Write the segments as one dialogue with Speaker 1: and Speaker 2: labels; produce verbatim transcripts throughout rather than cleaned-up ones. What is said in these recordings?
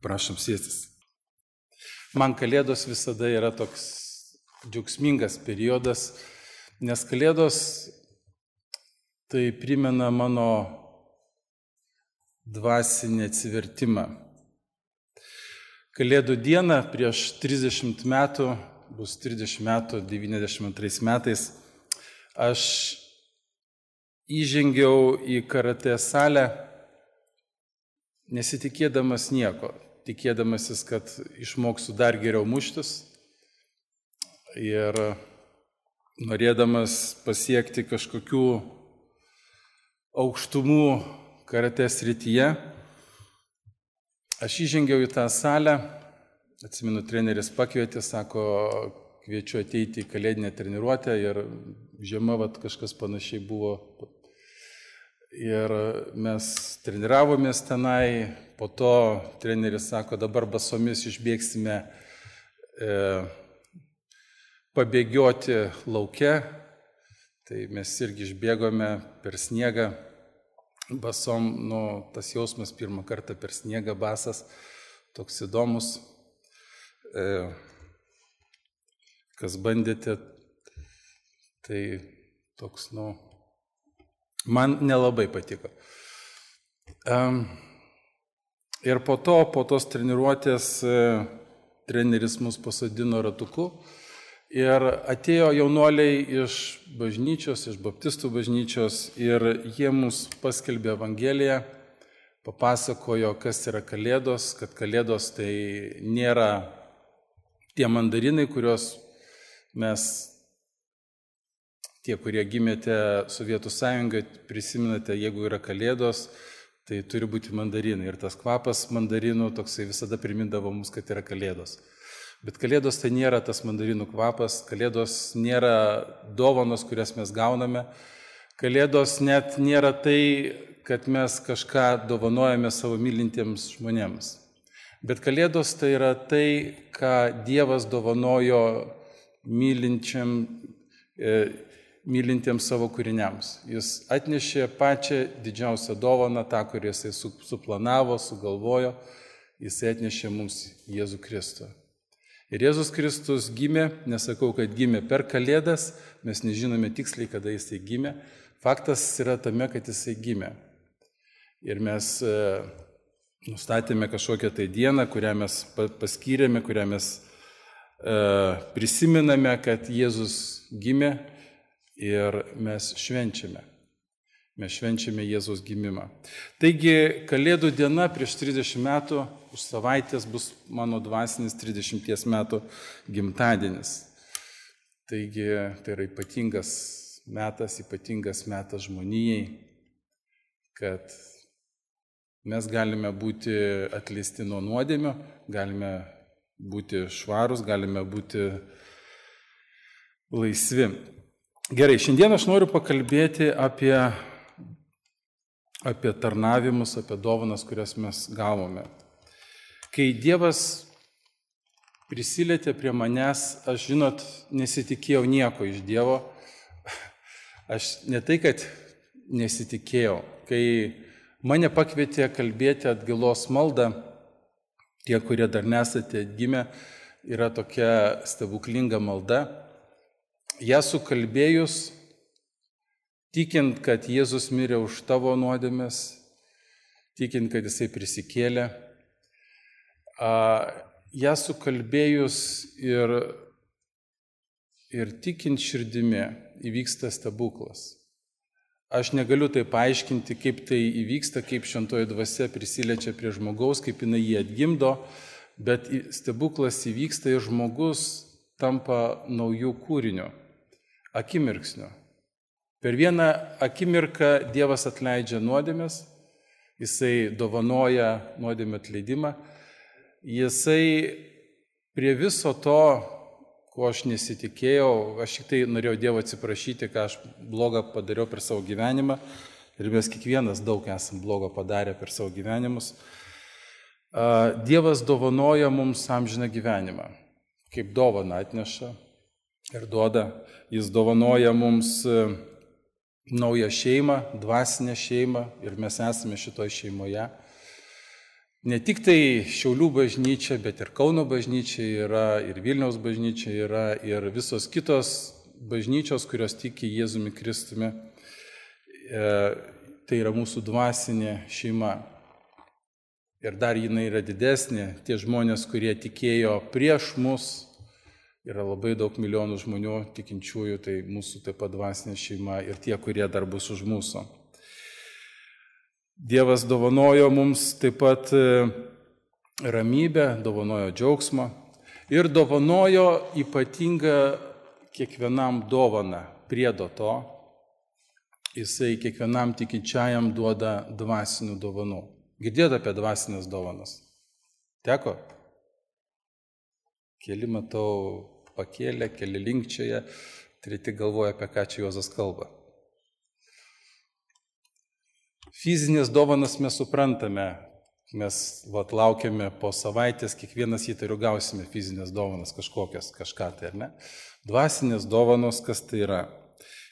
Speaker 1: Prašom sėstis. Man Kalėdos visada yra toks džiaugsmingas periodas, nes Kalėdos tai primena mano dvasinį atsivertimą. Kalėdų dieną prieš trisdešimt metų, bus trisdešimt metų, devyniasdešimt antrais metais, aš įžengiau į karatė salę, nesitikėdamas nieko, tikėdamasis, kad išmoksiu dar geriau muštis ir norėdamas pasiekti kažkokių aukštumų karatė srityje. Aš įžengiau į tą salę, atsimenu, treneris pakvietė, sako, kviečiu ateiti į kalėdinę treniruotę ir žiema vat, kažkas panašiai buvo. Ir mes treniravomės tenai, po to treneris sako, dabar basomis išbėgsime e, pabėgioti lauke. Tai mes irgi išbėgome per sniegą, basom, nu, tas jausmas pirmą kartą per sniegą basas, toks įdomus. E, kas bandėte, tai toks, nu, man nelabai patiko. Um, ir po to, po tos treniruotės, treneris mus pasodino ratuku ir atėjo jaunuoliai iš bažnyčios, iš baptistų bažnyčios ir jie mus paskelbė Evangeliją, papasakojo, kas yra Kalėdos, kad Kalėdos tai nėra tie mandarinai, kuriuos mes, tie, kurie gimėte Sovietų Sąjungai, prisiminate, jeigu yra Kalėdos, tai turi būti mandarinai. Ir tas kvapas mandarinų toksai visada primindavo mums, kad yra Kalėdos. Bet Kalėdos tai nėra tas mandarinų kvapas, Kalėdos nėra dovanos, kurias mes gauname. Kalėdos net nėra tai, kad mes kažką dovanojame savo mylintiems žmonėms. Bet Kalėdos tai yra tai, ką Dievas dovanojo mylinčiam, e, mylintiems savo kūriniams. Jis atnešė pačią didžiausią dovaną, tą, kurį jisai suplanavo, sugalvojo, jisai atnešė mums Jėzų Kristų. Ir Jėzus Kristus gimė, nesakau, kad gimė per Kalėdas, mes nežinome tiksliai, kada jisai gimė. Faktas yra tame, kad jisai gimė. Ir mes e, nustatėme kažkokią tai dieną, kurią mes paskyrėme, kurią mes e, prisiminame, kad Jėzus gimė. Ir mes švenčiame. Mes švenčiame Jėzaus gimimą. Taigi, Kalėdų diena prieš trisdešimt metų, už savaitės bus mano dvasinis trisdešimties metų gimtadienis. Taigi, tai yra ypatingas metas, ypatingas metas žmonijai, kad mes galime būti atleisti nuo nuodėmio, galime būti švarūs, galime būti laisvi. Gerai, šiandien aš noriu pakalbėti apie, apie tarnavimus, apie dovanas, kurias mes gavome. Kai Dievas prisilietė prie manęs, aš, žinot, nesitikėjau nieko iš Dievo. Aš ne tai, kad nesitikėjau. Kai mane pakvietė kalbėti atgailos maldą, tie, kurie dar nesate atgimę, yra tokia stebuklinga malda. Ja sukalbėjus, tikint, kad Jėzus mirė už tavo nuodėmes, tikint, kad jisai prisikėlė, ja sukalbėjus ir, ir tikint širdimi įvyksta stebuklas. Aš negaliu tai paaiškinti, kaip tai įvyksta, kaip šventoji dvasia prisiliečia prie žmogaus, kaip jinai jį atgimdo, bet stebuklas įvyksta ir žmogus tampa naujų kūrinių. Akimirksniu. Per vieną akimirką Dievas atleidžia nuodėmes, jisai dovanoja nuodėmę atleidimą, jisai prie viso to, ko aš nesitikėjau, aš tik tai norėjau Dievo atsiprašyti, ką aš blogą padariau per savo gyvenimą, ir mes kiekvienas daug esam blogo padarę per savo gyvenimus. Dievas dovanoja mums amžiną gyvenimą, kaip dovaną atneša ir duoda. Jis dovanoja mums naują šeimą, dvasinę šeimą ir mes esame šitoje šeimoje. ne tik tai Šiaulių bažnyčia, bet ir Kauno bažnyčia yra, ir Vilniaus bažnyčia yra, ir visos kitos bažnyčios, kurios tiki Jėzumi Kristumi. E, tai yra mūsų dvasinė šeima. Ir dar jinai yra didesnė. Tie žmonės, kurie tikėjo prieš mus, yra labai daug milijonų žmonių tikinčiųjų, tai mūsų taip pat dvasinė šeima ir tie, kurie dar bus už mūsų. Dievas dovanojo mums taip pat ramybę, dovanojo džiaugsmą ir dovanojo ypatingą kiekvienam dovaną priedo to. Jisai kiekvienam tikinčiajam duoda dvasinių dovanų. Girdėjote apie dvasinės dovanas? Teko? Keli matau pakėlė, keli linkčioje, treti galvoja, apie ką čia Juozas kalba. Fizinės dovanas mes suprantame, mes vat, laukiame po savaitės, kiekvienas įtariu gausime fizinės dovanas kažkokias, kažką tai, ar ne? Dvasinės dovanos, kas tai yra?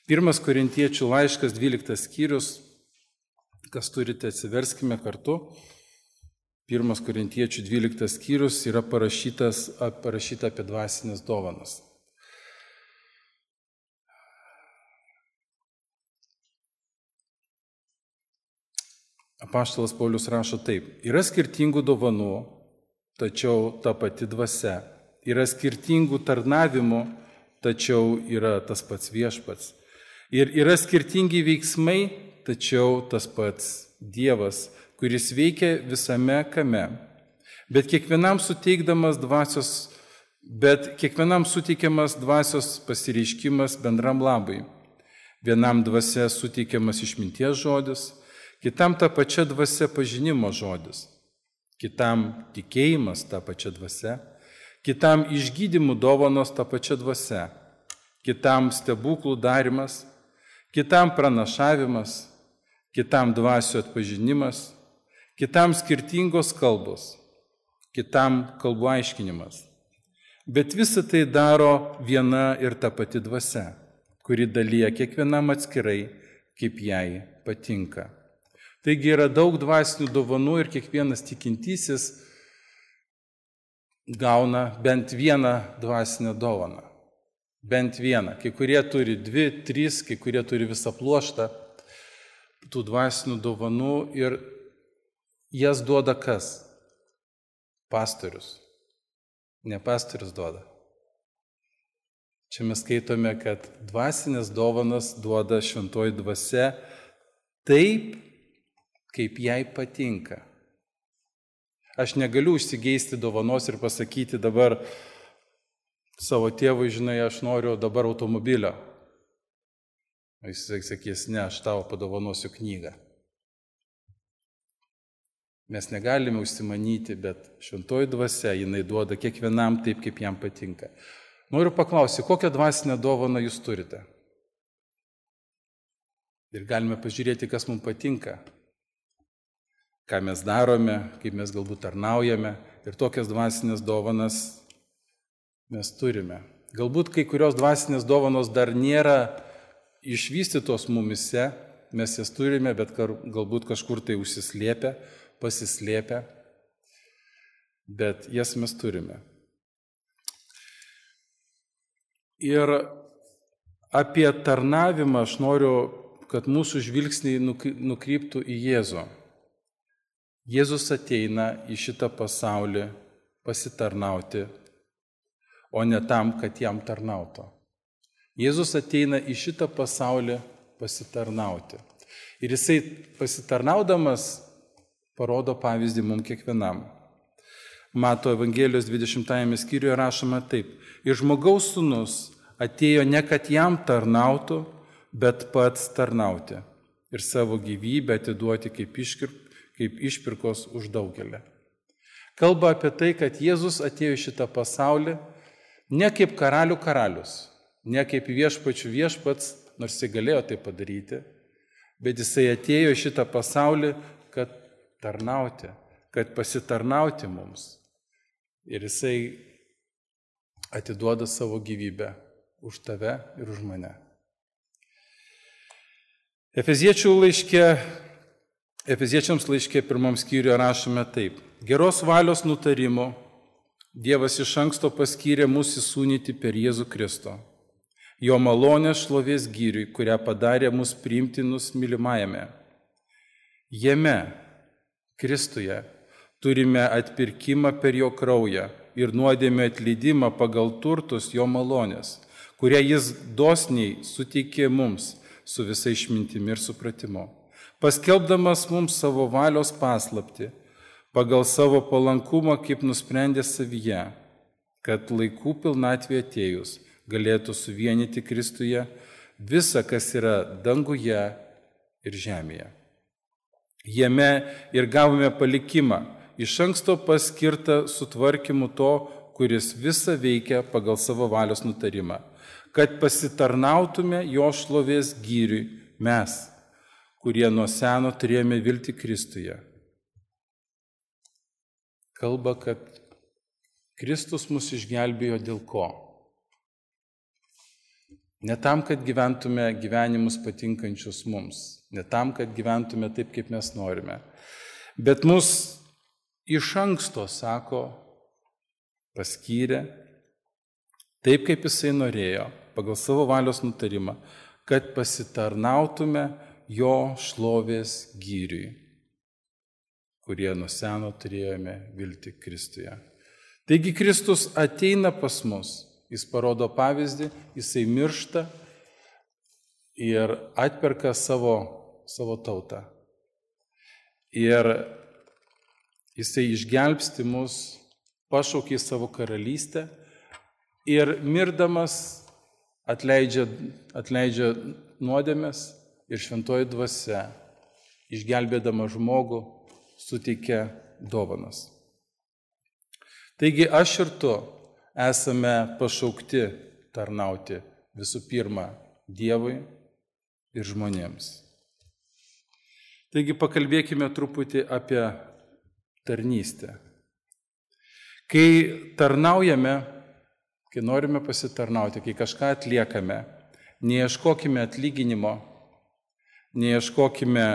Speaker 1: Pirmas Korintiečių laiškas, dvyliktas skyrius, kas turite, atsiverskime kartu. Pirmas Korintiečių dvyliktas skyrius yra parašytas, parašyta apie dvasinės dovanas. Apaštalas Paulius rašo taip. Yra skirtingų dovanų, tačiau ta pati dvasia. Yra skirtingų tarnavimų, tačiau yra tas pats viešpats. Ir yra skirtingi veiksmai, tačiau tas pats Dievas, kuris veikia visame kame, bet kiekvienam suteikdamas dvasios, bet kiekvienam suteikiamas dvasios pasireiškimas bendram labui. Vienam dvasia suteikiamas išminties žodis, kitam ta pačia dvasia pažinimo žodis, kitam tikėjimas ta pačia dvasia, kitam išgydymų dovanos ta pačia dvasia, kitam stebuklų darimas, kitam pranašavimas, kitam dvasių atpažinimas, kitam skirtingos kalbos, kitam kalbų aiškinimas. Bet visą tai daro viena ir ta pati dvasia, kuri dalyja kiekvienam atskirai, kaip jai patinka. Taigi yra daug dvasinių dovanų ir kiekvienas tikintysis gauna bent vieną dvasinę dovaną. Bent vieną. Kai kurie turi dvi, trys, kai kurie turi visą pluoštą tų dvasinių dovanų ir jas duoda kas? Pastorius. Ne pastorius duoda. Čia mes skaitome, kad dvasinės dovanas duoda šventoji dvasia taip, kaip jai patinka. Aš negaliu užsigeisti dovanos ir pasakyti dabar savo tėvui, žinai, aš noriu dabar automobilio. Jis sakys, ne, aš tau padovanosiu knygą. Mes negalime užsimanyti, bet šventoji dvasia, jinai duoda kiekvienam taip, kaip jam patinka. Noriu paklausyti, kokią dvasinę dovaną jūs turite? Ir galime pažiūrėti, kas mums patinka, ką mes darome, kaip mes galbūt tarnaujame. Ir tokias dvasinės dovanas mes turime. Galbūt kai kurios dvasinės dovanos dar nėra išvystytos mumise, mes jas turime, bet galbūt kažkur tai užsislėpę, pasislėpę, bet jas mes turime. Ir apie tarnavimą aš noriu, kad mūsų žvilgsniai nukryptų į Jėzų. Jėzus ateina į šitą pasaulį pasitarnauti, o ne tam, kad jam tarnautų. Jėzus ateina į šitą pasaulį pasitarnauti. Ir jisai pasitarnaudamas parodo pavyzdį mums kiekvienam. Mato Evangelijos dvidešimtajame skyriuje rašoma taip. Ir žmogaus sūnus atėjo ne kad jam tarnautų, bet pats tarnauti. Ir savo gyvybę atiduoti kaip, iškir, kaip išpirkos už daugelį. Kalba apie tai, kad Jėzus atėjo į šitą pasaulį ne kaip karalių karalius, ne kaip viešpačių viešpats, nors jis galėjo tai padaryti, bet jisai atėjo į šitą pasaulį, kad tarnauti, kad pasitarnauti mums. Ir jisai atiduoda savo gyvybę už tave ir už mane. Efeziečių laiške Efeziečiams laiške pirmam skyriuje rašome taip. Geros valios nutarimo Dievas iš anksto paskyrė mus įsūnyti per Jėzų Kristų. Jo malonės šlovės gyriui, kurią padarė mus priimtinus mylimajame. Jame, Kristuje, turime atpirkimą per jo kraują ir nuodėmę atleidimą pagal turtus jo malonės, kurią jis dosniai suteikė mums su visai išmintimi ir supratimu, paskelbdamas mums savo valios paslaptį, pagal savo palankumą, kaip nusprendė savyje, kad laikų pilnatvė atėjus galėtų suvienyti Kristuje visą, kas yra danguje ir žemėje. Jame ir gavome palikimą, iš anksto paskirtą sutvarkymu to, kuris visą veikia pagal savo valios nutarimą, kad pasitarnautume jo šlovės gyriui mes, kurie nuo seno turėjome viltį Kristuje. Kalba, kad Kristus mus išgelbėjo dėl ko? Ne tam, kad gyventume gyvenimus patinkančius mums, ne tam, kad gyventume taip, kaip mes norime, bet mus iš anksto, sako, paskyrė taip, kaip jisai norėjo, pagal savo valios nutarimą, kad pasitarnautume jo šlovės gyriui, kurie nuo seno turėjome viltį Kristuje. Taigi Kristus ateina pas mus, jis parodo pavyzdį, jisai miršta ir atperka savo, savo tautą. Ir jisai išgelbsti mus, pašaukė į savo karalystę ir mirdamas atleidžia, atleidžia nuodėmes ir šventoji dvasia, išgelbėdama žmogų, suteikia dovanas. Taigi aš ir tu esame pašaukti tarnauti visų pirma Dievui ir žmonėms. Taigi pakalbėkime truputį apie tarnystę. Kai tarnaujame, kai norime pasitarnauti, kai kažką atliekame, neieškokime atlyginimo, neieškokime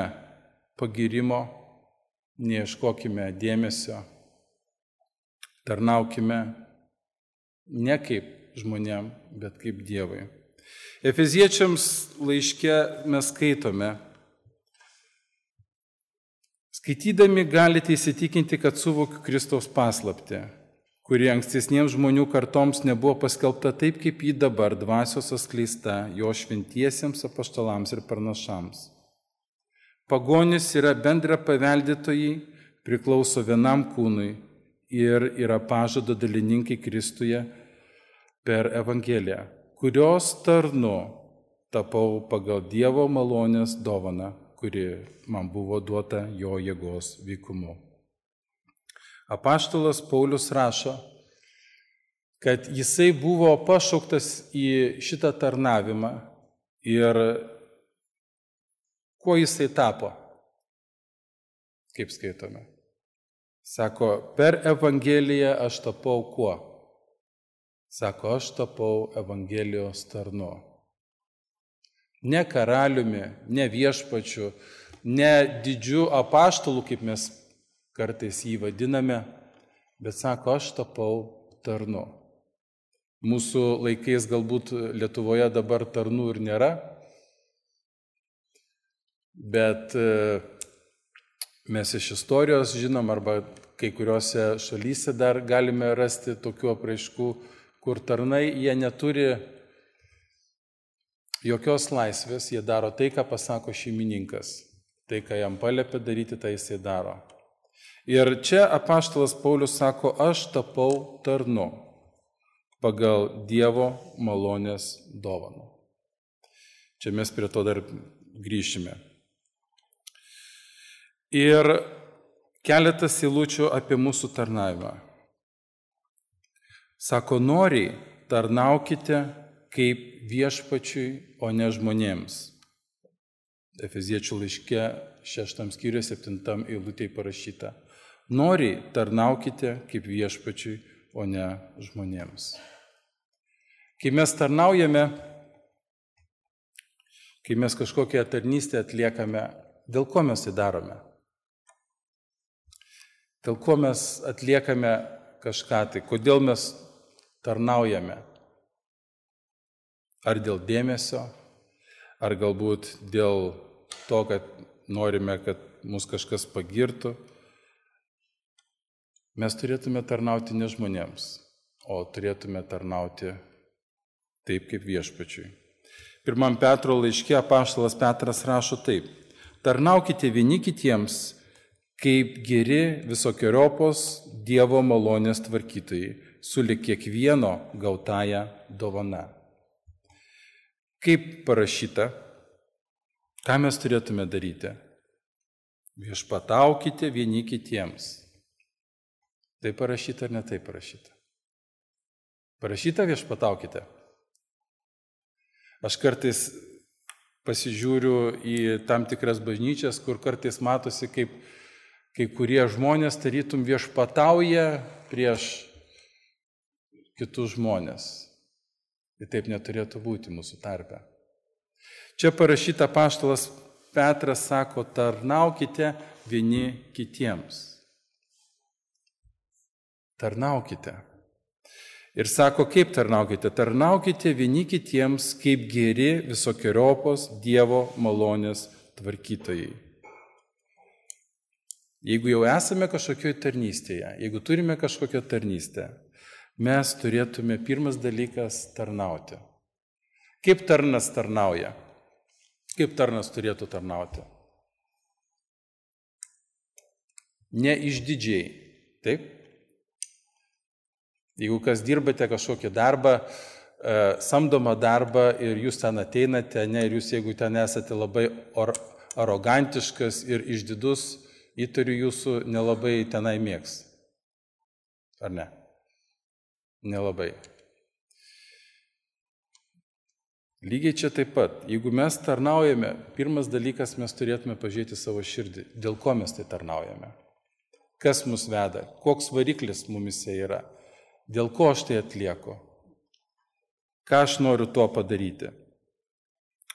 Speaker 1: pagirimo, neieškokime dėmesio, tarnaukime ne kaip žmonėm, bet kaip Dievui. Efeziečiams laiške mes skaitome, skaitydami galite įsitikinti, kad suvokiu Kristaus paslaptį, kuri ankstesniems žmonių kartoms nebuvo paskelbta taip, kaip ji dabar dvasios atskleista jo šventiesiems apaštalams ir pranašams. Pagonis yra bendra paveldėtojai, priklauso vienam kūnui ir yra pažado dalininkai Kristuje per Evangeliją, kurios tarnu tapau pagal Dievo malonės dovaną, kuri man buvo duota jo jėgos veikumu. Apaštalas Paulius rašo, kad jisai buvo pašauktas į šitą tarnavimą ir kuo jisai tapo, kaip skaitome. Sako, per Evangeliją aš tapau kuo? Sako, aš tapau Evangelijos tarnu. Ne karaliumi, ne viešpačiu, ne didžiu apaštalu, kaip mes kartais jį vadiname, bet sako, aš tapau tarnu. Mūsų laikais galbūt Lietuvoje dabar tarnų ir nėra, bet mes iš istorijos žinom, arba kai kuriuose šalyse dar galime rasti tokių apraiškų, kur tarnai jie neturi jokios laisvės, jie daro tai, ką pasako šeimininkas. Tai, ką jam paliepia daryti, tai jisai daro. Ir čia apaštalas Paulius sako, aš tapau tarnu pagal Dievo malonės dovaną. Čia mes prie to dar grįšime. Ir keletas eilučių apie mūsų tarnavimą. Sako, noriai tarnaukite kaip viešpačiui, o ne žmonėms. Efeziečių laiške šeštam skyriuje septintam eilutėje parašyta. Noriai tarnaukite kaip viešpačiui, o ne žmonėms. Kai mes tarnaujame, kai mes kažkokią tarnystę atliekame, dėl ko mes tai darome? dėl ko mes atliekame kažką, tai kodėl mes tarnaujame. Ar dėl dėmesio, ar galbūt dėl to, kad norime, kad mus kažkas pagirtų. Mes turėtume tarnauti ne žmonėms, o turėtume tarnauti taip kaip viešpačiui. Pirmam Petro laiške apaštalas Petras rašo taip: tarnaukite vieni kitiems, kaip geri visokiojopos Dievo malonės tvarkytojai, sulig kiekvieno gautąją dovana. Kaip parašyta, ką mes turėtume daryti? Viešpataukite vieni kitiems. Tai parašyta ar ne tai parašyta? Parašyta viešpataukite. Aš kartais pasižiūriu į tam tikras bažnyčias, kur kartais matosi, kaip kai kurie žmonės tarytum viešpatauja prieš kitus žmonės. Ir taip neturėtų būti mūsų tarpe. Čia parašyta apaštalas Petras sako, tarnaukite vieni kitiems. Tarnaukite. Ir sako, kaip tarnaukite? Tarnaukite vieni kitiems, kaip geri visokiojopos Dievo malonės tvarkytojai. Jeigu jau esame kažkokioje tarnystėje, jeigu turime kažkokią tarnystę, mes turėtume pirmas dalykas tarnauti. Kaip tarnas tarnauja? Kaip tarnas turėtų tarnauti? Ne išdidžiai, taip? Jeigu kas dirbate kažkokį darbą, samdomą darbą ir jūs ten ateinate, ne, ir jūs, jeigu ten esate labai or, arogantiškas ir išdidus, įtariu jūsų nelabai tenai mėgs. Ar ne? Nelabai. Lygiai čia taip pat. Jeigu mes tarnaujame, pirmas dalykas mes turėtume pažiūrėti savo širdį. Dėl ko mes tai tarnaujame? Kas mus veda? Koks variklis mumise yra? Dėl ko aš tai atlieku? Ką aš noriu tuo padaryti?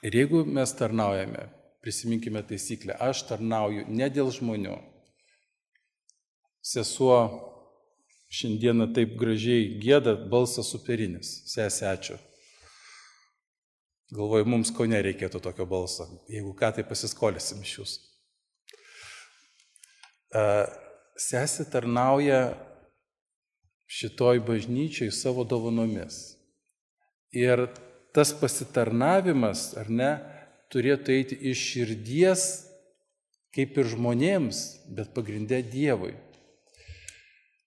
Speaker 1: Ir jeigu mes tarnaujame, prisiminkime taisyklę, aš tarnauju ne dėl žmonių. Sesuo šiandieną taip gražiai gieda, balsas superinis. Sesė, ačiū. Galvoju, mums Kaune reikėtų tokio balso. Jeigu ką, tai pasiskolysim iš jūsų. Sesė tarnauja šitoj bažnyčiai savo dovanomis. Ir tas pasitarnavimas, ar ne, turėtų eiti iš širdies, kaip ir žmonėms, bet pagrinde Dievui.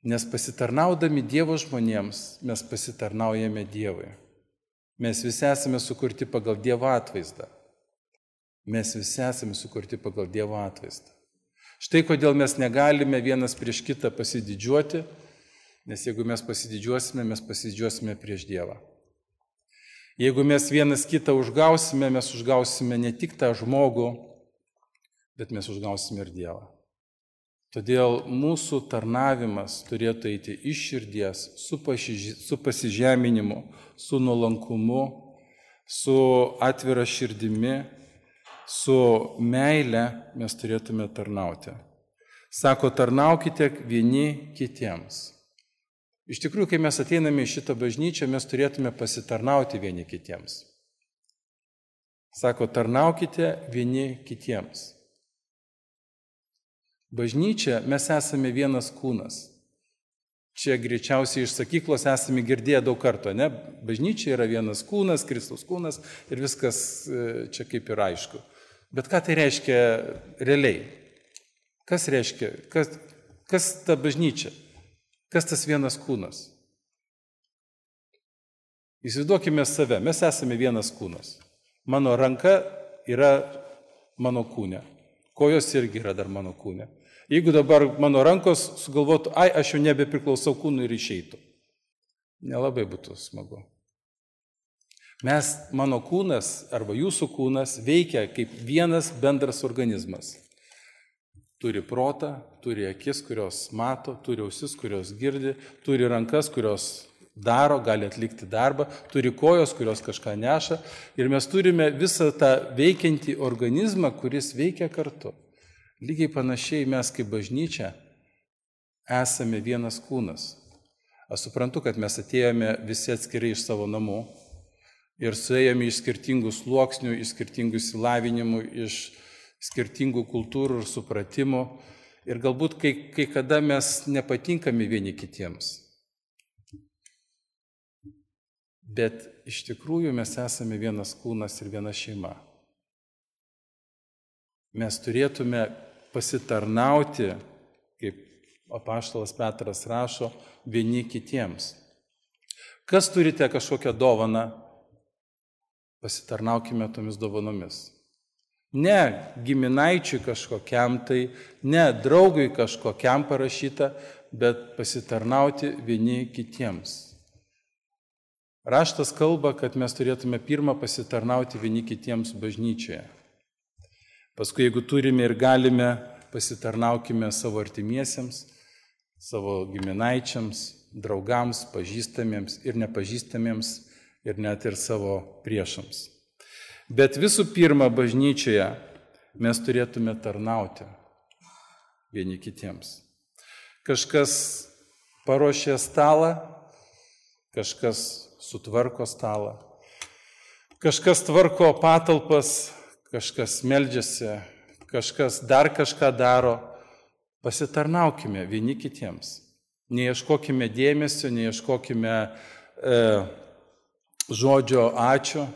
Speaker 1: Nes pasitarnaudami Dievo žmonėms, mes pasitarnaujame Dievui. Mes visi esame sukurti pagal Dievo atvaizdą. Mes visi esame sukurti pagal Dievo atvaizdą. Štai kodėl mes negalime vienas prieš kitą pasididžiuoti, nes jeigu mes pasididžiuosime, mes pasididžiuosime prieš Dievą. Jeigu mes vienas kitą užgausime, mes užgausime ne tik tą žmogų, bet mes užgausime ir Dievą. Todėl mūsų tarnavimas turėtų eiti iš širdies, su, pašiž... su pasižeminimu, su nuolankumu, su atvira širdimi, su meile mes turėtume tarnauti. Sako, tarnaukite vieni kitiems. Iš tikrųjų, kai mes ateiname į šitą bažnyčią, mes turėtume pasitarnauti vieni kitiems. Sako, tarnaukite vieni kitiems. Bažnyčia, mes esame vienas kūnas. Čia greičiausiai iš sakyklos esame girdėję daug kartų, ne? Bažnyčia yra vienas kūnas, Kristaus kūnas ir viskas čia kaip ir aišku. Bet ką tai reiškia realiai? Kas reiškia? Kas, kas ta bažnyčia? Kas tas vienas kūnas? Įsivaizduokime save, mes esame vienas kūnas. Mano ranka yra mano kūne. Kojos irgi yra dar mano kūne. Jeigu dabar mano rankos sugalvotų, ai, aš jau nebepriklausau kūnui ir išeitų. Nelabai būtų smagu. Mes, mano kūnas arba jūsų kūnas veikia kaip vienas bendras organizmas. Turi protą, turi akis, kurios mato, turi ausis, kurios girdi, turi rankas, kurios daro, gali atlikti darbą, turi kojos, kurios kažką neša. Ir mes turime visą tą veikiantį organizmą, kuris veikia kartu. Lygiai panašiai mes kaip bažnyčia esame vienas kūnas. Aš suprantu, kad mes atėjome visi atskirai iš savo namų ir suėjome iš skirtingų sluoksnių, iš skirtingų įsilavinimų, iš skirtingų kultūrų ir supratimų. Ir galbūt kai, kai kada mes nepatinkame vieni kitiems. Bet iš tikrųjų mes esame vienas kūnas ir viena šeima. Mes turėtume pasitarnauti, kaip apaštalas Petras rašo, vieni kitiems. Kas turite kažkokią dovaną, pasitarnaukime tomis dovanomis. Ne giminaičiui kažkokiam tai, ne draugui kažkokiam parašyta, bet pasitarnauti vieni kitiems. Raštas kalba, kad mes turėtume pirmą pasitarnauti vieni kitiems bažnyčioje. Paskui, jeigu turime ir galime, pasitarnaukime savo artimiesiems, savo giminaičiams, draugams, pažįstamiems ir nepažįstamiems ir net ir savo priešams. Bet visų pirma, bažnyčioje mes turėtume tarnauti vieni kitiems. Kažkas paruošė stalą, kažkas sutvarko stalą, kažkas tvarko patalpas, kažkas meldžiasi, kažkas dar kažką daro. Pasitarnaukime vieni kitiems. Neieškokime dėmesio, neieškokime e, žodžio ačiū.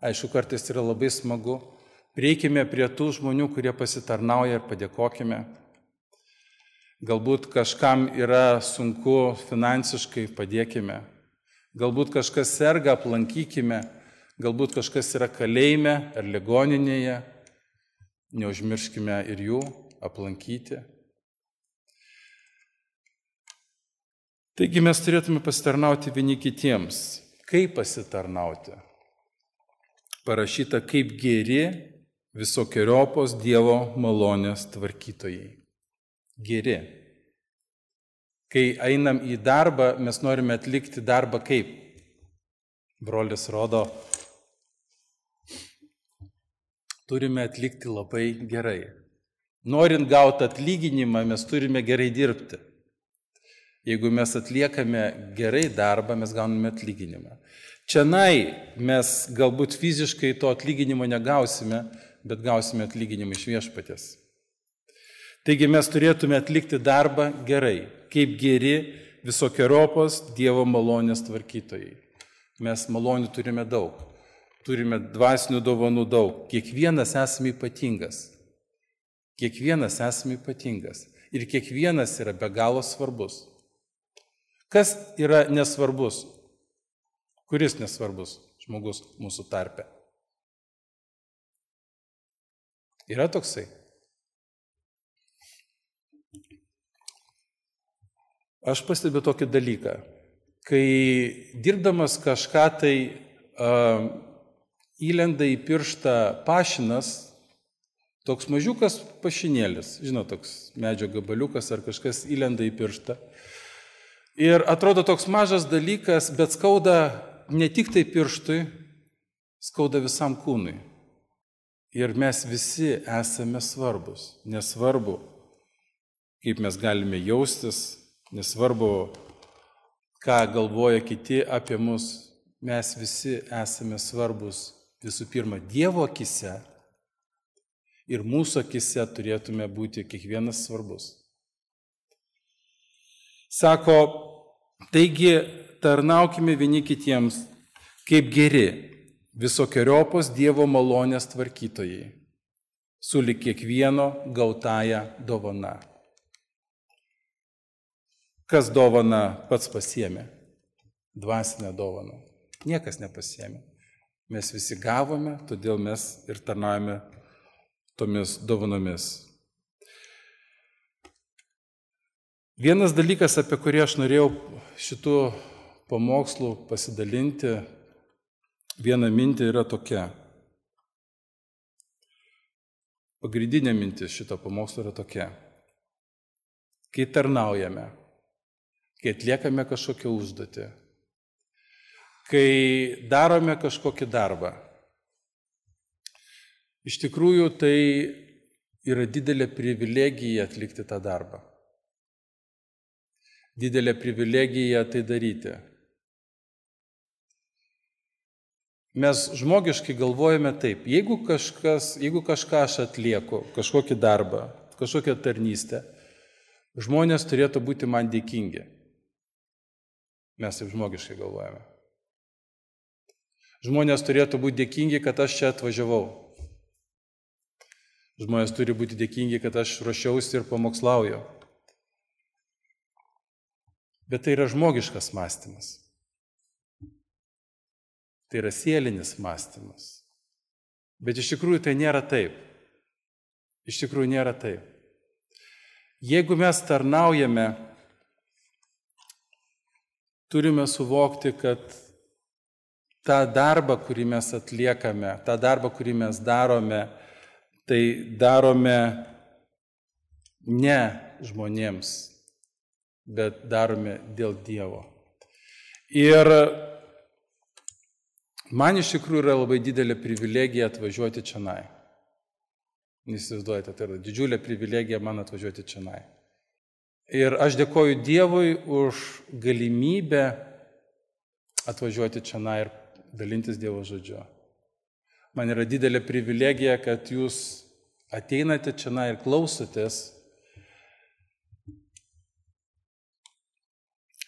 Speaker 1: Aišku, kartais yra labai smagu. Prieikime prie tų žmonių, kurie pasitarnauja ir padėkokime. Galbūt kažkam yra sunku finansiškai, padėkime. Galbūt kažkas serga, aplankykime. Galbūt kažkas yra kalėjime ar ligoninėje. Neužmirškime ir jų aplankyti. Taigi mes turėtume pasitarnauti vieni kitiems. Kaip pasitarnauti? Parašyta, kaip geri visokiojopos Dievo malonės tvarkytojai. Geri. Kai einam į darbą, mes norime atlikti darbą kaip? Brolis rodo, turime atlikti labai gerai. Norint gauti atlyginimą, mes turime gerai dirbti. Jeigu mes atliekame gerai darbą, mes gauname atlyginimą. Čianai mes galbūt fiziškai to atlyginimo negausime, bet gausime atlyginimą iš viešpaties. Taigi mes turėtume atlikti darbą gerai, kaip geri visokiojopos Dievo malonės tvarkytojai. Mes malonių turime daug, turime dvasinių dovanų daug, kiekvienas esame ypatingas. Kiekvienas esame ypatingas ir kiekvienas yra be galo svarbus. Kas yra nesvarbus? Kuris nesvarbus žmogus mūsų tarpe? Yra toksai? Aš pastebiu tokį dalyką. Kai dirbdamas kažką tai uh, įlenda į pirštą pašinas, toks mažiukas pašinėlis, žinot, toks medžio gabaliukas ar kažkas įlenda į pirštą. Ir atrodo toks mažas dalykas, bet skauda ne tik tai pirštui, skauda visam kūnui. Ir mes visi esame svarbus. Nesvarbu, kaip mes galime jaustis, nesvarbu, ką galvoja kiti apie mus, mes visi esame svarbus visų pirma Dievo akise ir mūsų akise turėtume būti kiekvienas svarbus. Sako, taigi tarnaukime vieni kitiems kaip geri visokiojopos Dievo malonės tvarkytojai, sulig kiekvieno gautąją dovana. Kas dovana pats pasiėmė? Dvasinę dovaną. Niekas nepasiėmė. Mes visi gavome, todėl mes ir tarnaujame tomis dovanomis. Vienas dalykas, apie kurį aš norėjau šitų pamokslų pasidalinti, viena mintė yra tokia. Pagrindinė mintis šito pamokslo yra tokia. Kai tarnaujame, kai atliekame kažkokią užduotį, kai darome kažkokį darbą, iš tikrųjų tai yra didelė privilegija atlikti tą darbą. didelė privilegija tai daryti. Mes žmogiškai galvojame taip, jeigu, kažkas, jeigu kažką aš atlieku, kažkokį darbą, kažkokią tarnystę, žmonės turėtų būti man dėkingi. Mes taip žmogiškai galvojame. Žmonės turėtų būti dėkingi, kad aš čia atvažiavau. Žmonės turi būti dėkingi, kad aš ruošiausi ir pamokslauju. Bet tai yra žmogiškas mąstymas. Tai yra sielinis mąstymas. Bet iš tikrųjų tai nėra taip. Iš tikrųjų nėra taip. Jeigu mes tarnaujame, turime suvokti, kad tą darbą, kurį mes atliekame, tą darbą, kurį mes darome, tai darome ne žmonėms, bet darome dėl Dievo. Ir man iš tikrųjų yra labai didelė privilegija atvažiuoti čionai. Įsivaizduojate, tai yra didžiulė privilegija man atvažiuoti čionai. Ir aš dėkoju Dievui už galimybę atvažiuoti čionai ir dalintis Dievo žodžiu. Man yra didelė privilegija, kad jūs ateinate čionai ir klausotės.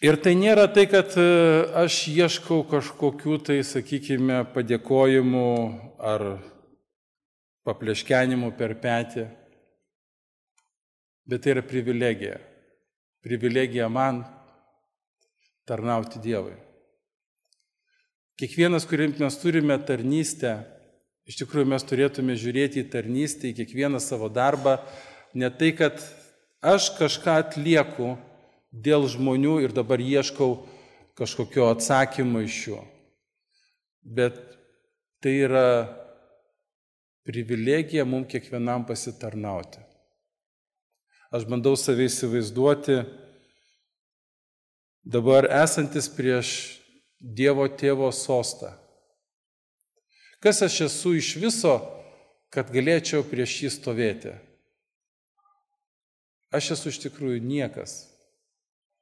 Speaker 1: Ir tai nėra tai, kad aš ieškau kažkokių tai, sakykime, padėkojimų ar papleškenimų per petį, bet tai yra privilegija. Privilegija man tarnauti Dievui. Kiekvienas, kurį mes turime tarnystę, iš tikrųjų mes turėtume žiūrėti į tarnystę, į kiekvieną savo darbą, ne tai, kad aš kažką atlieku dėl žmonių ir dabar ieškau kažkokio atsakymo iš jų. Bet tai yra privilegija mums kiekvienam pasitarnauti. Aš bandau save įsivaizduoti dabar esantis prieš Dievo Tėvo sostą. Kas aš esu iš viso, kad galėčiau prieš jį stovėti? Aš esu iš tikrųjų niekas.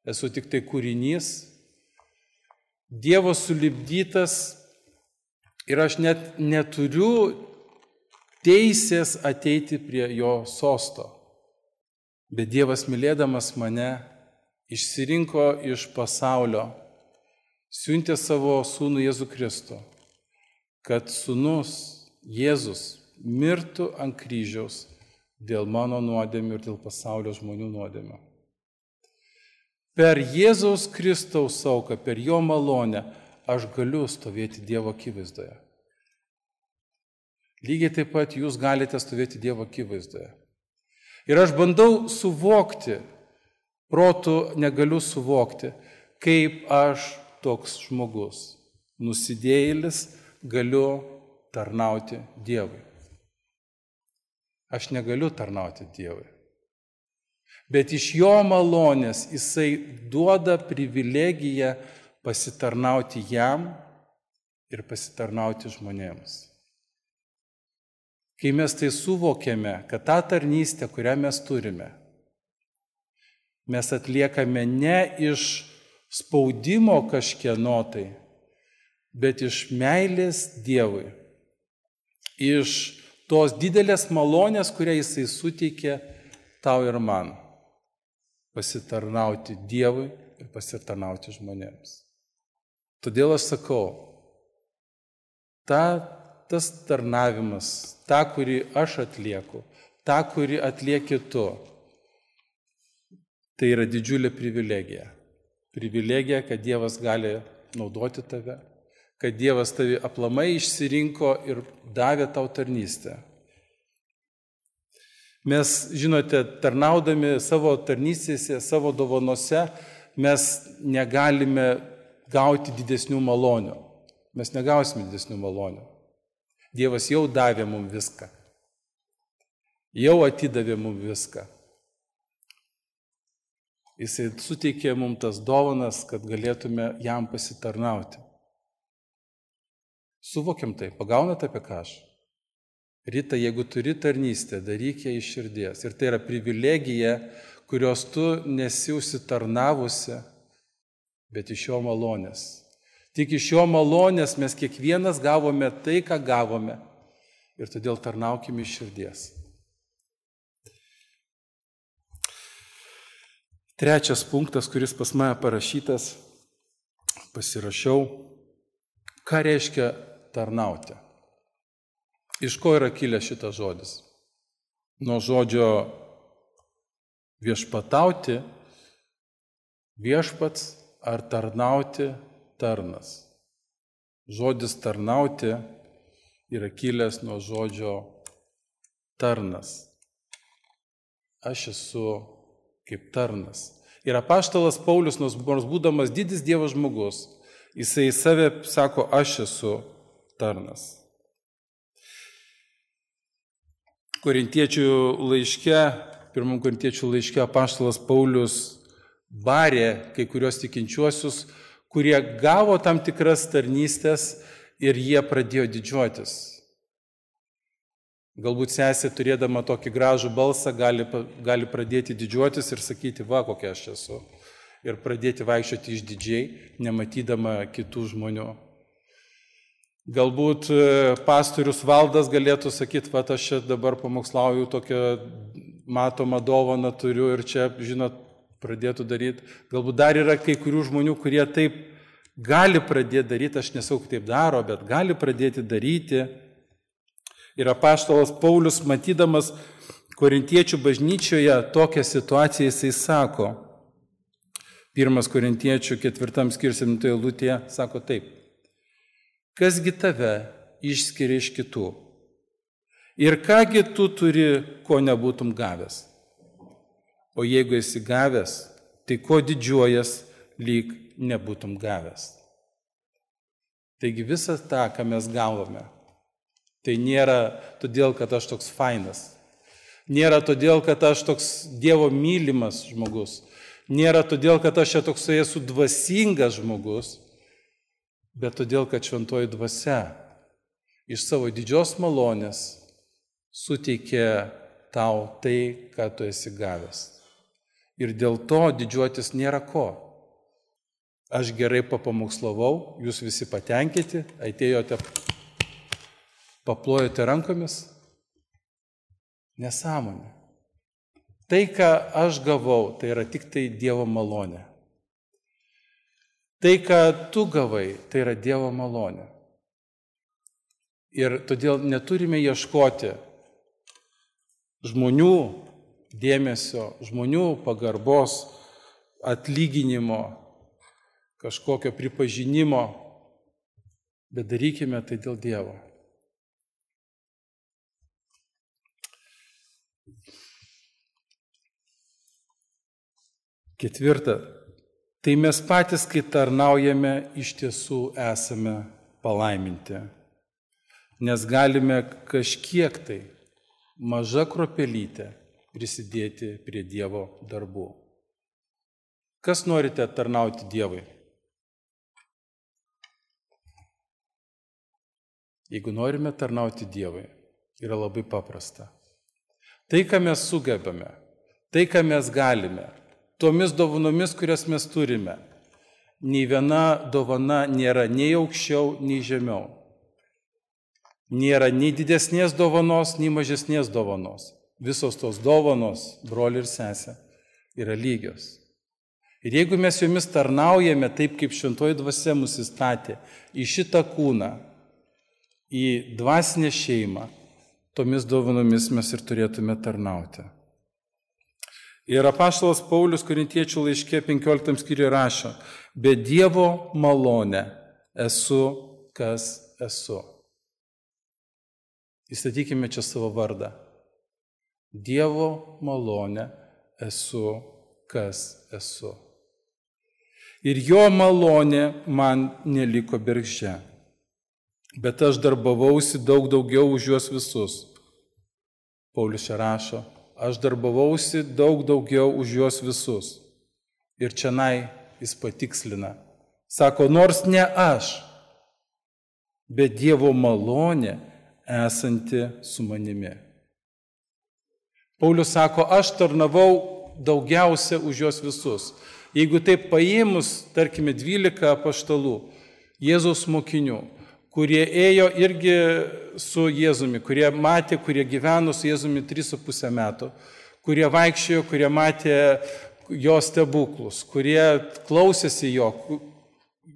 Speaker 1: Esu tik tai kūrinys, Dievo sulipdytas ir aš net neturiu teisės ateiti prie jo sosto. Bet Dievas, mylėdamas mane, išsirinko iš pasaulio, siuntė savo sūnų Jėzų Kristų, kad sūnus Jėzus mirtų ant kryžiaus dėl mano nuodėmių ir dėl pasaulio žmonių nuodėmių. Per Jėzaus Kristaus auką, per jo malonę, aš galiu stovėti Dievo akivaizdoje. Lygiai taip pat jūs galite stovėti Dievo akivaizdoje. Ir aš bandau suvokti, protu negaliu suvokti, kaip aš toks žmogus, nusidėjėlis, galiu tarnauti Dievui. Aš negaliu tarnauti Dievui. Bet iš jo malonės jisai duoda privilegiją pasitarnauti jam ir pasitarnauti žmonėms. Kai mes tai suvokiame, kad tą tarnystę, kurią mes turime, mes atliekame ne iš spaudimo kažkieno tai, bet iš meilės Dievui, iš tos didelės malonės, kurią jisai suteikė tau ir man. Pasitarnauti Dievui ir pasitarnauti žmonėms. Todėl aš sakau, ta, tas tarnavimas, tą, kurį aš atlieku, tą, kurį atlieki tu, tai yra didžiulė privilegija. Privilegija, kad Dievas gali naudoti tave, kad Dievas tavi aplamai išsirinko ir davė tau tarnystę. Mes, žinote, tarnaudami savo tarnystėse, savo dovanose, mes negalime gauti didesnių malonių. Mes negausime didesnių malonių. Dievas jau davė mums viską. Jau atidavė mums viską. Jisai suteikė mums tas dovanas, kad galėtume jam pasitarnauti. Suvokiam tai, pagaunat apie ką aš? Rita, jeigu turi tarnystę, daryk ją iš širdies. Ir tai yra privilegija, kurios tu nesi užsitarnavusi, bet iš jo malonės. Tik iš jo malonės mes kiekvienas gavome tai, ką gavome. Ir todėl tarnaukime iš širdies. Trečias punktas, kuris pas mane parašytas, pasirašiau, ką reiškia tarnauti. Iš ko yra kilęs šitas žodis? Nuo žodžio viešpatauti, viešpats ar tarnauti, tarnas. Žodis tarnauti yra kilęs nuo žodžio tarnas. Aš esu kaip tarnas. Ir apaštalas Paulius, nors būdamas didis Dievo žmogus, jisai save sako, aš esu tarnas. Korintiečių laiške, pirmam korintiečių laiške apaštalas Paulius barė kai kurios tikinčiuosius, kurie gavo tam tikras tarnystės ir jie pradėjo didžiuotis. Galbūt sesė, turėdama tokį gražų balsą, gali, gali pradėti didžiuotis ir sakyti, va, kokia aš esu. Ir pradėti vaikščioti išdidžiai, nematydama kitų žmonių. Galbūt pastorius Valdas galėtų sakyti, va, aš čia dabar pamokslauju, tokią matomą dovaną turiu ir čia, žinot, pradėtų daryti. Galbūt dar yra kai kurių žmonių, kurie taip gali pradėti daryti, aš nesau, kaip taip daro, bet gali pradėti daryti. Ir apaštalas Paulius, matydamas korintiečių bažnyčioje tokią situaciją, jisai sako, pirmas korintiečių ketvirtam skyriuje septintoje eilutėje, sako taip, kasgi tave išskiria iš kitų ir kągi tu turi, ko nebūtum gavęs. O jeigu esi gavęs, tai ko didžiuojas, lyg nebūtum gavęs. Taigi visą tą, ką mes gavome, tai nėra todėl, kad aš toks fainas. Nėra todėl, kad aš toks Dievo mylimas žmogus. Nėra todėl, kad aš čia toksai esu dvasingas žmogus, bet todėl, kad šventoji dvasia iš savo didžios malonės suteikė tau tai, ką tu esi gavęs. Ir dėl to didžiuotis nėra ko. Aš gerai papamokslavau, jūs visi patenkinti, atėjote, paplojote rankomis. Nesąmonė. Tai, ką aš gavau, tai yra tik tai Dievo malonė. Tai, ką tu gavai, tai yra Dievo malonė. Ir todėl neturime ieškoti žmonių dėmesio, žmonių pagarbos, atlyginimo, kažkokio pripažinimo, bet darykime tai dėl Dievo. Ketvirta. Tai mes patys, kai tarnaujame, iš tiesų esame palaiminti, nes galime kažkiek tai maža kruopelytė prisidėti prie Dievo darbų. Kas norite tarnauti Dievui? Jeigu norime tarnauti Dievui, yra labai paprasta. Tai, ką mes sugebame, tai, ką mes galime, tomis dovanomis, kurias mes turime, nei viena dovana nėra nei aukščiau, nei žemiau. Nėra nei didesnės dovanos, nei mažesnės dovanos. Visos tos dovanos, broli ir sesė, yra lygios. Ir jeigu mes jomis tarnaujame taip, kaip šventoji dvasia mus įstatė, į šitą kūną, į dvasinę šeimą, tomis dovanomis mes ir turėtume tarnauti. Ir apaštalas Paulius korintiečių laiške penkioliktam skyriuje rašo, be Dievo malonę esu, kas esu. Įstatykime čia savo vardą. Dievo malonę esu, kas esu. Ir jo malonė man neliko bergždžia, bet aš darbavausi daug daugiau už juos visus. Paulius čia rašo, aš darbavausi daug daugiau už juos visus. Ir čianai jis patikslina. Sako, nors ne aš, bet Dievo malonė esanti su manimi. Paulius sako, aš tarnavau daugiausia už juos visus. Jeigu taip paėmus, tarkime, dvylika apaštalų, Jėzaus mokinių, kurie ėjo irgi su Jėzumi, kurie matė, kurie gyveno su Jėzumi tris su pusę metų, kurie vaikščiojo, kurie matė jo stebuklus, kurie klausėsi jo,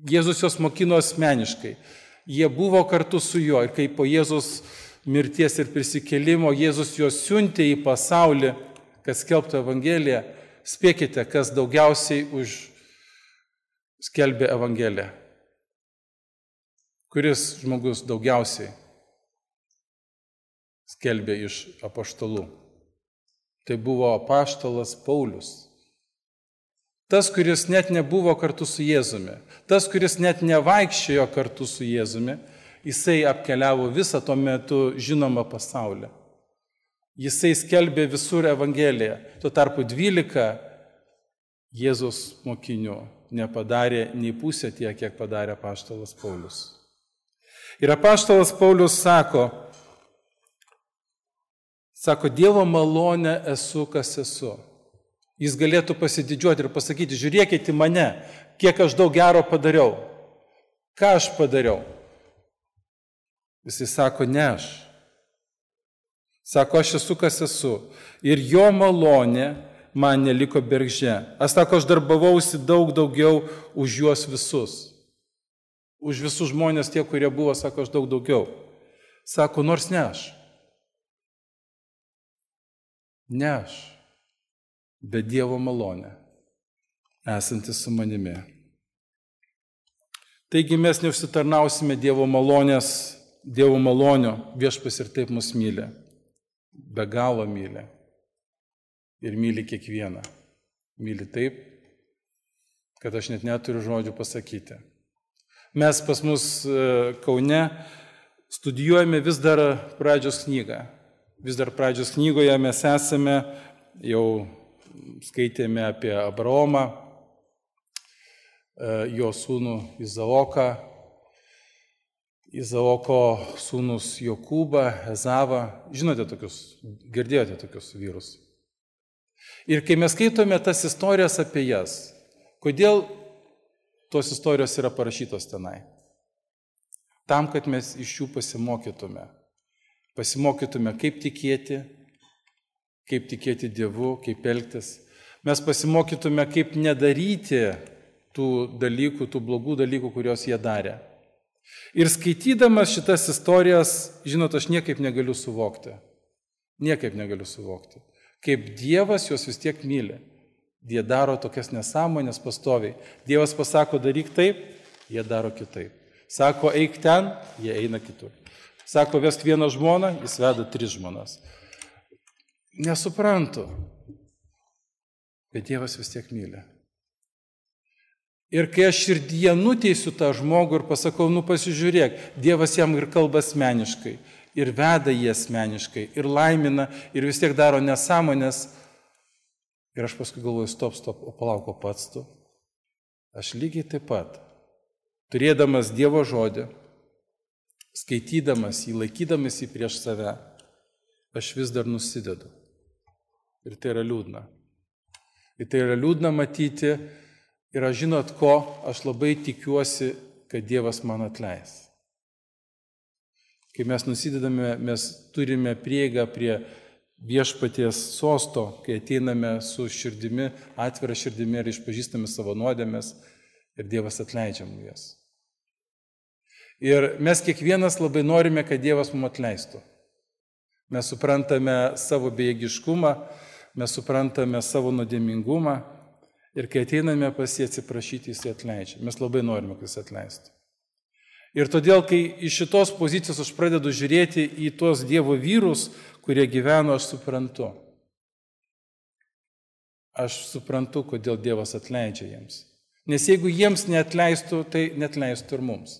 Speaker 1: Jėzus jos mokino asmeniškai. Jie buvo kartu su juo ir kai po Jėzus mirties ir prisikėlimo Jėzus juos siuntė į pasaulį, kad skelbtų Evangeliją. Spėkite, kas daugiausiai už skelbė Evangeliją. Kuris žmogus daugiausiai skelbė iš apaštalų? Tai buvo apaštalas Paulius. Tas, kuris net nebuvo kartu su Jėzumi, tas, kuris net nevaikščiojo kartu su Jėzumi, jisai apkeliavo visą tuo metu žinomą pasaulį. Jisai skelbė visur Evangeliją. Tuo tarpu dvylika Jėzaus mokinių nepadarė nei pusę tiek, kiek padarė apaštalas Paulius. Ir apaštalas Paulius sako, sako, Dievo malonę esu, kas esu. Jis galėtų pasididžiuoti ir pasakyti, žiūrėkite mane, kiek aš daug gero padariau. Ką aš padariau? Jisai sako, ne aš. Sako, aš esu, kas esu. Ir jo malonė man neliko bergždžia. Aš sako, aš darbavausi daug daugiau už juos visus. Už visus žmonės tie, kurie buvo, sako, aš daug daugiau. Sako, nors ne aš. Ne aš. Bet Dievo malonė, esantis su manimi. Taigi mes neužsitarnausime Dievo malonės, Dievo malonio, Viešpats ir taip mus myli. Be galo myli. Ir myli kiekvieną. Myli taip, kad aš net neturiu žodžių pasakyti. Mes pas mus Kaune studijuojame vis dar pradžios knygą. Vis dar pradžios knygoje mes esame, jau skaitėme apie Abraomą, jo sūnų Izaoką, Izaoko sūnus Jokūbą, Ezavą. Žinote tokius, girdėjote tokius vyrus. Ir kai mes skaitome tas istorijas apie jas, kodėl tos istorijos yra parašytos tenai? Tam, kad mes iš jų pasimokytume. Pasimokytume, kaip tikėti, kaip tikėti Dievu, kaip elgtis. Mes pasimokytume, kaip nedaryti tų dalykų, tų blogų dalykų, kuriuos jie darė. Ir skaitydamas šitas istorijas, žinot, aš niekaip negaliu suvokti. Niekaip negaliu suvokti. Kaip Dievas juos vis tiek myli. Jie daro tokias nesąmonės pastoviai. Dievas pasako, daryk taip, jie daro kitaip. Sako, eik ten, jie eina kitur. Sako, vesk vieną žmoną, jis veda tris žmonas. Nesuprantu. Bet Dievas vis tiek myli. Ir kai aš širdyje nuteisiu tą žmogų ir pasakau, nu pasižiūrėk, Dievas jam ir kalba asmeniškai, ir veda jį asmeniškai, ir laimina, ir vis tiek daro nesąmonės. Ir aš paskui galvoju, stop, stop, o palauk, o pats tu. Aš lygiai taip pat, turėdamas Dievo žodį, skaitydamas jį, laikydamas jį prieš save, aš vis dar nusidedu. Ir tai yra liūdna. Ir tai yra liūdna matyti. Ir aš žinot ko, aš labai tikiuosi, kad Dievas man atleis. Kai mes nusidedame, mes turime prieigą prie Viešpaties sosto, kai ateiname su širdimi, atvira širdimi ir išpažįstame savo nuodėmes ir Dievas atleidžia mums jas. Ir mes kiekvienas labai norime, kad Dievas mums atleistų. Mes suprantame savo bejėgiškumą, mes suprantame savo nuodėmingumą. Ir kai ateiname pas jį atsiprašyti, jis atleidžia. Mes labai norime, kad jis atleistų. Ir todėl, kai iš šitos pozicijos aš pradedu žiūrėti į tuos Dievo vyrus, kurie gyveno, aš suprantu. Aš suprantu, kodėl Dievas atleidžia jiems. Nes jeigu jiems neatleistų, tai neatleistų ir mums.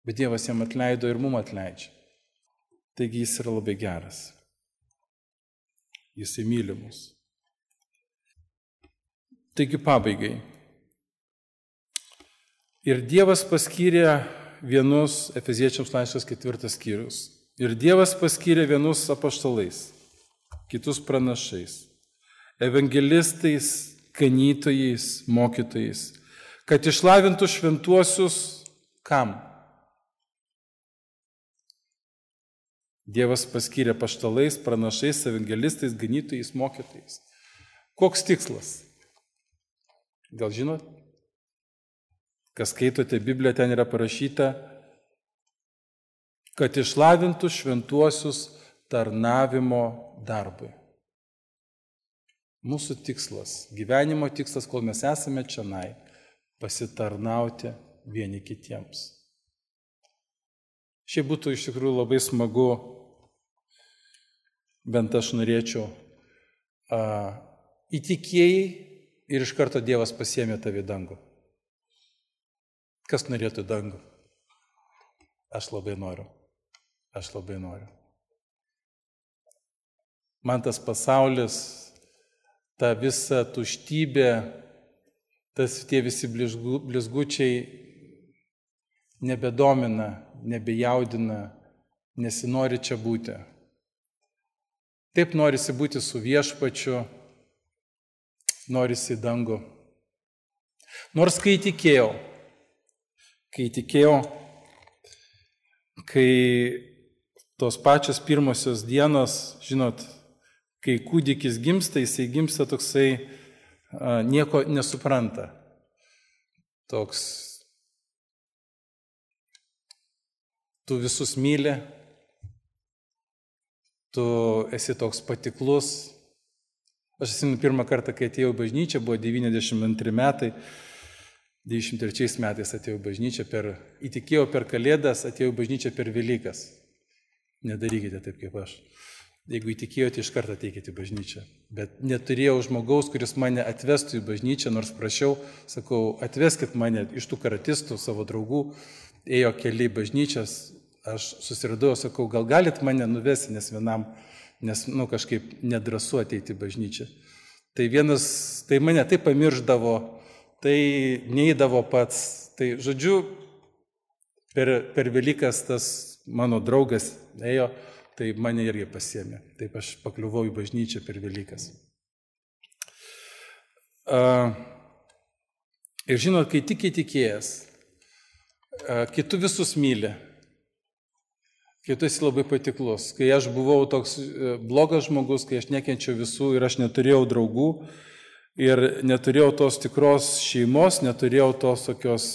Speaker 1: Bet Dievas jiems atleido ir mums atleidžia. Taigi jis yra labai geras. Jis myli mus. Taigi pabaigai. Ir Dievas paskyrė vienus, Efeziečiams laiškas ketvirtas skyrius, ir Dievas paskyrė vienus apaštalais, kitus pranašais, evangelistais, ganytojais, mokytojais, kad išlavintų šventuosius kam? Dievas paskyrė apaštalais, pranašais, evangelistais, ganytojais, mokytojais. Koks tikslas? Gal žinot? Kas skaitote Bibliją, ten yra parašyta, kad išlavintų šventuosius tarnavimo darbui. Mūsų tikslas, gyvenimo tikslas, kol mes esame čionai, pasitarnauti vieni kitiems. Šiaip būtų iš tikrųjų labai smagu, bent aš norėčiau, a, įtikėjai ir iš karto Dievas pasiėmė tave į dangų. Kas norėtų dangų? Aš labai noriu. Aš labai noriu. Man tas pasaulis, ta visa tuštybė, tas tie visi blizgu, blizgučiai nebedomina, nebejaudina, nesinori čia būti. Taip norisi būti su viešpačiu, norisi į dangų. Nors kai tikėjau, kai tikėjau, kai tos pačios pirmosios dienos, žinot, kai kūdikis gimsta, jisai gimsta toksai, a, nieko nesupranta. Toks, tu visus myli, tu esi toks patiklus. Aš esu pirmą kartą, kai atėjau į bažnyčią, buvo devyniasdešimt antri metai, devyniasdešimt trečiais metais atėjau į bažnyčią, per, įtikėjau per Kalėdas, atėjau į bažnyčią per Velykas. Nedarykite taip kaip aš. Jeigu įtikėjote, iš karto ateikite į bažnyčią. Bet neturėjau žmogaus, kuris mane atvestų į bažnyčią, nors prašiau, sakau, atveskit mane iš tų karatistų, savo draugų, ėjo keli bažnyčias, aš susiradau, sakau, gal galit mane nuvesti, nes vienam, nes, nu, kažkaip nedrąsu ateiti į bažnyčią. Tai vienas, tai mane taip pamirždavo, tai neįdavo pats, tai žodžiu, per, per Velykas tas mano draugas ėjo, tai mane irgi pasiėmė. Taip aš pakliuvau į bažnyčią per Velykas. Uh, ir žinot, kai tik įtikėjęs, uh, kai tu visus myli, kai tu esi labai patiklus, kai aš buvau toks uh, blogas žmogus, kai aš nekenčiau visų ir aš neturėjau draugų ir neturėjau tos tikros šeimos, neturėjau tos tokios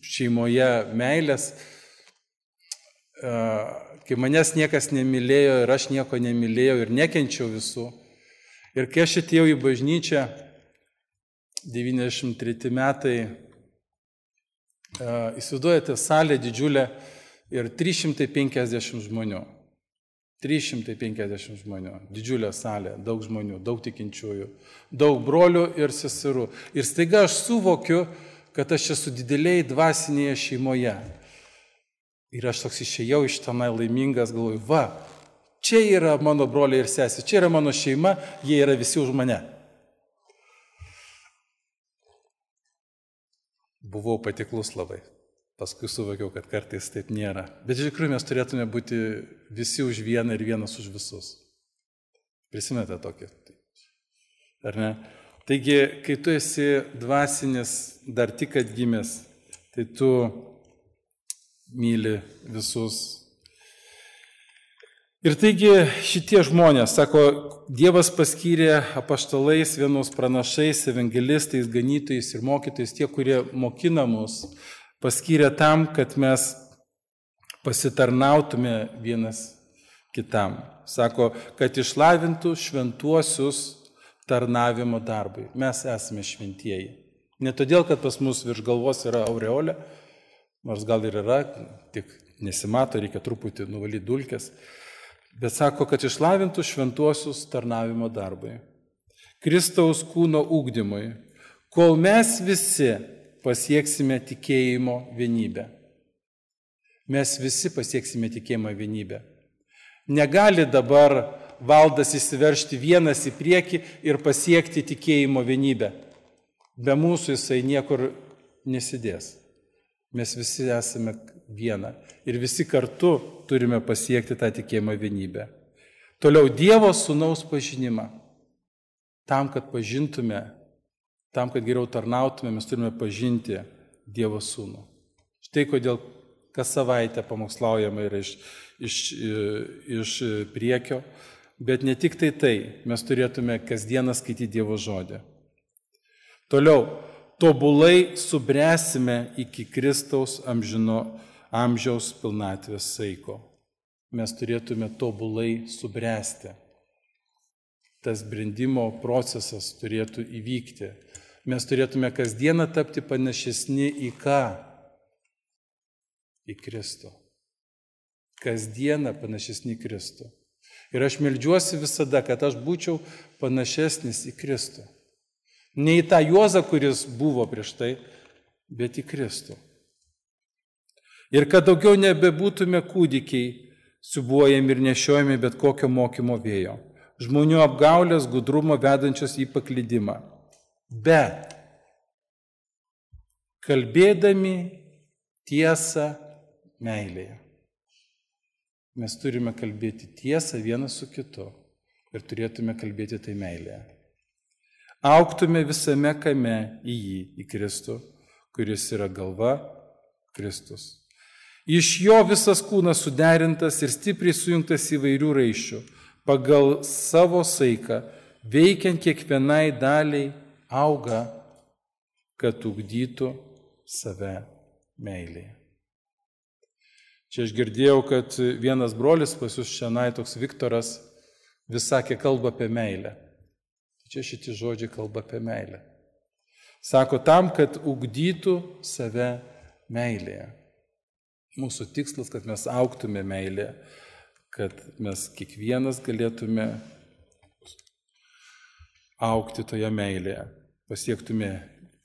Speaker 1: šeimoje meilės, uh, kai manęs niekas nemylėjo ir aš nieko nemylėjau ir nekenčiau visų. Ir kai aš atėjau į bažnyčią, devyniasdešimt treti metai, uh, įsivaizduojate salę didžiulę ir trys šimtai penkiasdešimt žmonių. trys šimtai penkiasdešimt žmonių. Didžiulė salė, daug žmonių, daug tikinčiųjų, daug brolių ir seserų. Ir staiga aš suvokiu, kad aš esu dideliai dvasinėje šeimoje. Ir aš toks išėjau iš tenai laimingas, galvoju, va, čia yra mano broliai ir sesė, čia yra mano šeima, jie yra visi už mane. Buvau patiklus labai, paskui suvokiau, kad kartais taip nėra. Bet iš tikrųjų mes turėtume būti visi už vieną ir vienas už visus. Prisimenate tokį? Ar ne? Taigi, kai tu esi dvasinis, dar tik atgimęs, tai tu myli visus. Ir taigi šitie žmonės, sako, Dievas paskyrė apaštalais, vienus pranašais, evangelistais, ganytojais ir mokytojais, tie, kurie mokina mus, paskyrė tam, kad mes pasitarnautume vienas kitam. Sako, kad išlavintų šventuosius tarnavimo darbui. Mes esame šventieji. Ne todėl, kad pas mus virš galvos yra aureolė, nors gal ir yra, tik nesimato, reikia truputį nuvalyti dulkes, bet sako, kad išlavintų šventuosius tarnavimo darbui, Kristaus kūno ugdymui, kol mes visi pasieksime tikėjimo vienybę. Mes visi pasieksime tikėjimo vienybę. Negali dabar valdas įsiveržti vienas į priekį ir pasiekti tikėjimo vienybę. Be mūsų jisai niekur nesidės. Mes visi esame viena ir visi kartu turime pasiekti tą tikėjimo vienybę. Toliau Dievo sūnaus pažinimą. tam, kad pažintume, tam, kad geriau tarnautume, mes turime pažinti Dievo Sūnų. Štai kodėl kas savaitę pamokslaujama yra iš, iš, iš priekio, bet ne tik tai tai, mes turėtume kasdieną skaityti Dievo žodį. Toliau, tobulai subręsime iki Kristaus amžino, amžiaus pilnatvės saiko. Mes turėtume tobulai subręsti. Tas brendimo procesas turėtų įvykti. Mes turėtume kasdieną tapti panašesni į ką? Į Kristų. Kasdieną panašesni į Kristų. Ir aš meldžiuosi visada, kad aš būčiau panašesnis į Kristų. Ne į tą Juozą, kuris buvo prieš tai, bet į Kristų. Ir kad daugiau nebebūtume kūdikiai, siūbuojami ir nešiojami bet kokio mokymo vėjo. Žmonių apgaulės, gudrumo vedančios į paklydimą. Bet kalbėdami tiesą meilėje. Mes turime kalbėti tiesą vienas su kitu ir turėtume kalbėti tai meilėje. Augtume visame kame į jį, į Kristų, kuris yra galva, Kristus. Iš jo visas kūnas suderintas ir stipriai sujungtas įvairių raiščių, pagal savo saiką, veikiant kiekvienai daliai, auga, kad ugdytų save meilėje. Čia aš girdėjau, kad vienas brolis pas jūs šiandien, toks Viktoras, vis sakė, kalba apie meilę. Čia šitie žodžiai kalba apie meilę. Sako, tam, kad ugdytų save meilėje. Mūsų tikslas, kad mes augtume meilėje, kad mes kiekvienas galėtume augti toje meilėje, pasiektume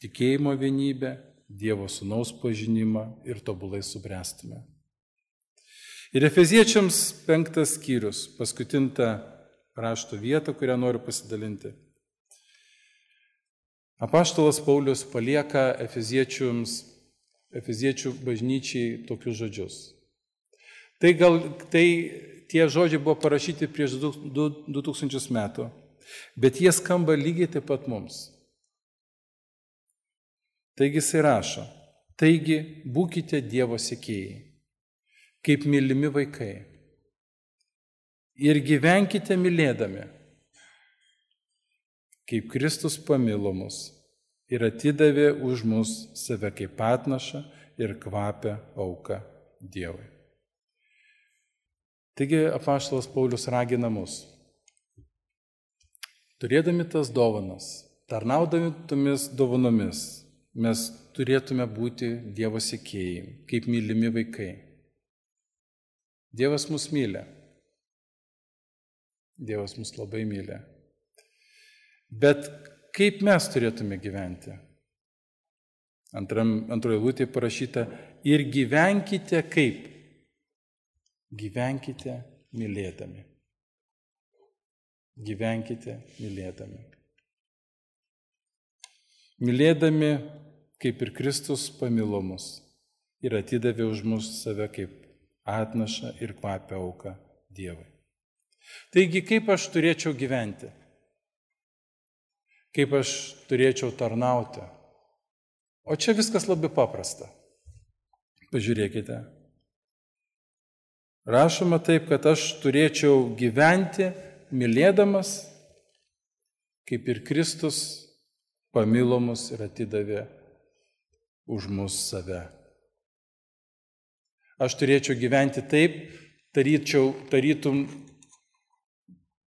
Speaker 1: tikėjimo vienybę, Dievo Sūnaus pažinimą ir tobulai subręstume. Ir Efeziečiams penktas skyrius, paskutinta rašto vieta, kurią noriu pasidalinti. Apaštalas Paulius palieka Efeziečiams, Efeziečių bažnyčiai tokius žodžius. Tai, gal, tai tie žodžiai buvo parašyti prieš du tūkstančius metų, bet jie skamba lygiai taip pat mums. Taigi jisai rašo, taigi būkite Dievo sekėjai, kaip mylimi vaikai, ir gyvenkite mylėdami, kaip Kristus pamilo mus ir atidavė už mus save kaip atnašą ir kvapę auką Dievui. Taigi apaštalas Paulius ragina mus, turėdami tas dovanas, tarnaudami tomis dovanomis, mes turėtume būti Dievo sekėjai, kaip mylimi vaikai. Dievas mus myli. Dievas mus labai myli. Bet kaip mes turėtume gyventi? Antram, antroje eilutėje parašyta, ir gyvenkite kaip? Gyvenkite mylėdami. Gyvenkite mylėdami. Mylėdami, kaip ir Kristus pamilo mus ir atidavė už mus save kaip atnašą ir kvapę auką Dievui. Taigi, kaip aš turėčiau gyventi? Kaip aš turėčiau tarnauti? O čia viskas labai paprasta. Pažiūrėkite. Rašoma taip, kad aš turėčiau gyventi mylėdamas, kaip ir Kristus pamilo mus ir atidavė už mus save. Aš turėčiau gyventi taip, taryčiau, tarytum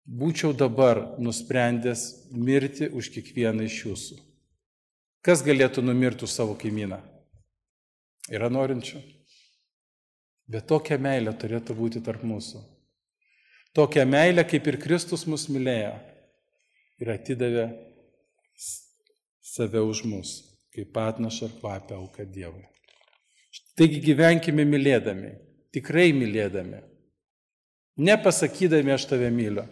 Speaker 1: būčiau dabar nusprendęs mirti už kiekvieną iš jūsų. Kas galėtų numirti už savo kaimyną? Yra norinčių. Bet tokia meilė turėtų būti tarp mūsų. Tokia meilė, kaip ir Kristus mus mylėjo ir atidavė save už mus, kaip atnašą ir kvapę auką Dievui. Taigi gyvenkime mylėdami, tikrai mylėdami. Nepasakydami aš tave myliu,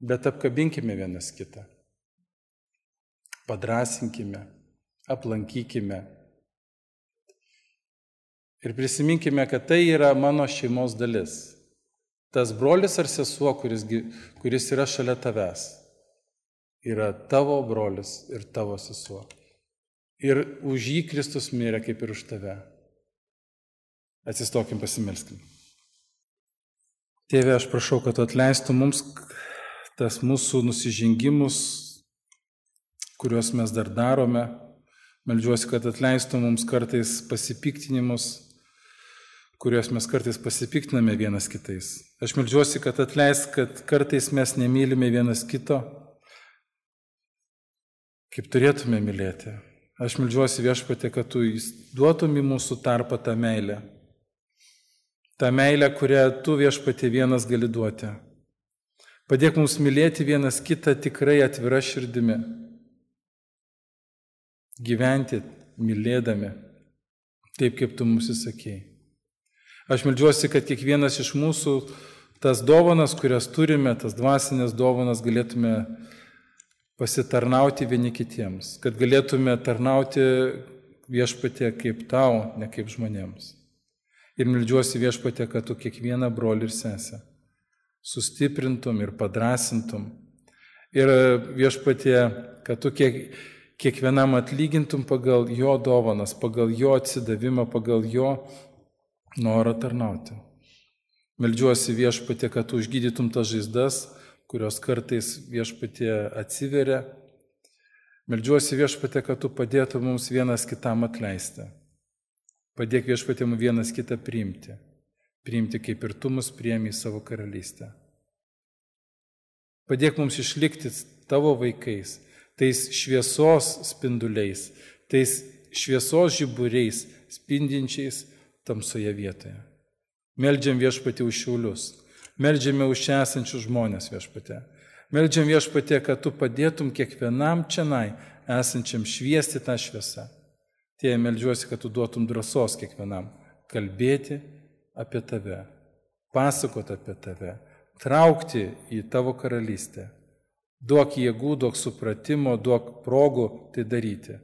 Speaker 1: bet apkabinkime vienas kitą. Padrasinkime, aplankykime. Ir prisiminkime, kad tai yra mano šeimos dalis. Tas brolis ar sesuo, kuris, kuris yra šalia tavęs. yra tavo brolis ir tavo sesuo. Ir už jį Kristus mirė kaip ir už tave. Atsistokim, pasimelskim. Tėve, aš prašau, kad tu atleistų mums tas mūsų nusižengimus, kuriuos mes dar darome. Meldžiuosi, kad atleistų mums kartais pasipiktinimus, kuriuos mes kartais pasipiktiname vienas kitais. Aš meldžiuosi, kad atleis, kad kartais mes nemylime vienas kito, kaip turėtume mylėti. Aš meldžiuosi, Viešpatie, kad tu duotum į mūsų tarpą tą meilę. Ta meilė, kurią tu, Viešpatie, vienas gali duoti. Padėk mums mylėti vienas kitą tikrai atvira širdimi. Gyventi mylėdami, taip kaip tu mums įsakėjai. Aš meldžiuosi, kad kiekvienas iš mūsų tas dovanas, kurias turime, tas dvasinės dovanas galėtume pasitarnauti vieni kitiems, kad galėtume tarnauti Viešpatie kaip tau, ne kaip žmonėms. Ir meldžiuosi, Viešpatie, kad tu kiekvieną brolį ir sesę sustiprintum ir padrasintum. Ir Viešpatie, kad tu kiek, kiekvienam atlygintum pagal jo dovanas, pagal jo atsidavimą, pagal jo norą tarnauti. Meldžiuosi, Viešpatie, kad tu užgydytum tas žaizdas, kurios kartais, Viešpatie, atsiveria. Meldžiuosi, Viešpatie, kad tu padėtum mums vienas kitam atleisti. Padėk, Viešpatie, mums vienas kitą priimti. Priimti, kaip ir tu mus priėmė į savo karalystę. Padėk mums išlikti tavo vaikais, tais šviesos spinduliais, tais šviesos žiburiais, spindinčiais tamsoje vietoje. Meldžiam, Viešpatie, už Šiaulius. Meldžiame už čia esančius žmonės, Viešpatie. Meldžiam, Viešpatie, kad tu padėtum kiekvienam čianai esančiam šviesti tą šviesą. Tie meldžiuosi, kad tu duotum drąsos kiekvienam kalbėti apie tave, pasakoti apie tave, traukti į tavo karalystę. Duok jėgų, duok supratimo, duok progų tai daryti.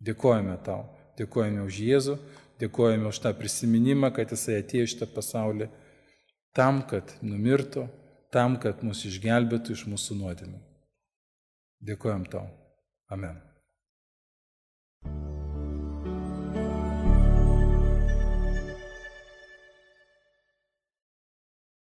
Speaker 1: Dėkojame tau, dėkojame už Jėzų, dėkojame už tą prisiminimą, kad jisai atėjo iš tą pasaulį tam, kad numirtų, tam, kad mus išgelbėtų iš mūsų nuodėmių. Dėkojam tau. Amen.